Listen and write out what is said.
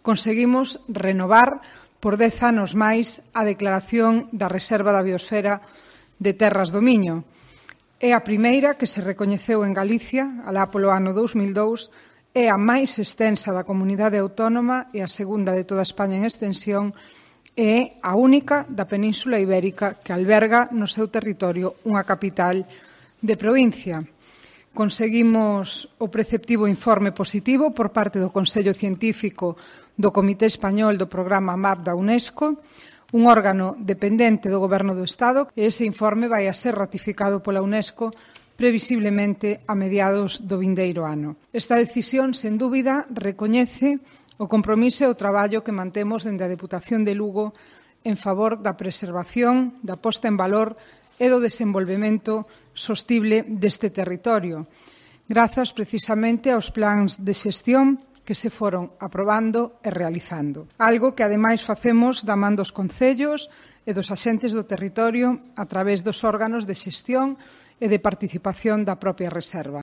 Conseguimos renovar por 10 anos máis a declaración da Reserva da Biosfera de Terras do Miño. É a primeira que se recoñeceu en Galicia, alá polo ano 2002, é a máis extensa da comunidade autónoma e a segunda de toda España en extensión, e é a única da Península Ibérica que alberga no seu territorio unha capital de provincia. Conseguimos o preceptivo informe positivo por parte do Consello Científico do Comité Español do Programa MAP da UNESCO, un órgano dependente do Goberno do Estado, e ese informe vai a ser ratificado pola UNESCO previsiblemente a mediados do vindeiro ano. Esta decisión, sen dúbida, recoñece o compromiso e o traballo que mantemos dende a Deputación de Lugo en favor da preservación, da posta en valor e do desenvolvemento sostible deste territorio, grazas precisamente aos plans de xestión que se foron aprobando e realizando. Algo que, ademais, facemos da man dos concellos e dos axentes do territorio a través dos órganos de xestión e de participación da propia reserva.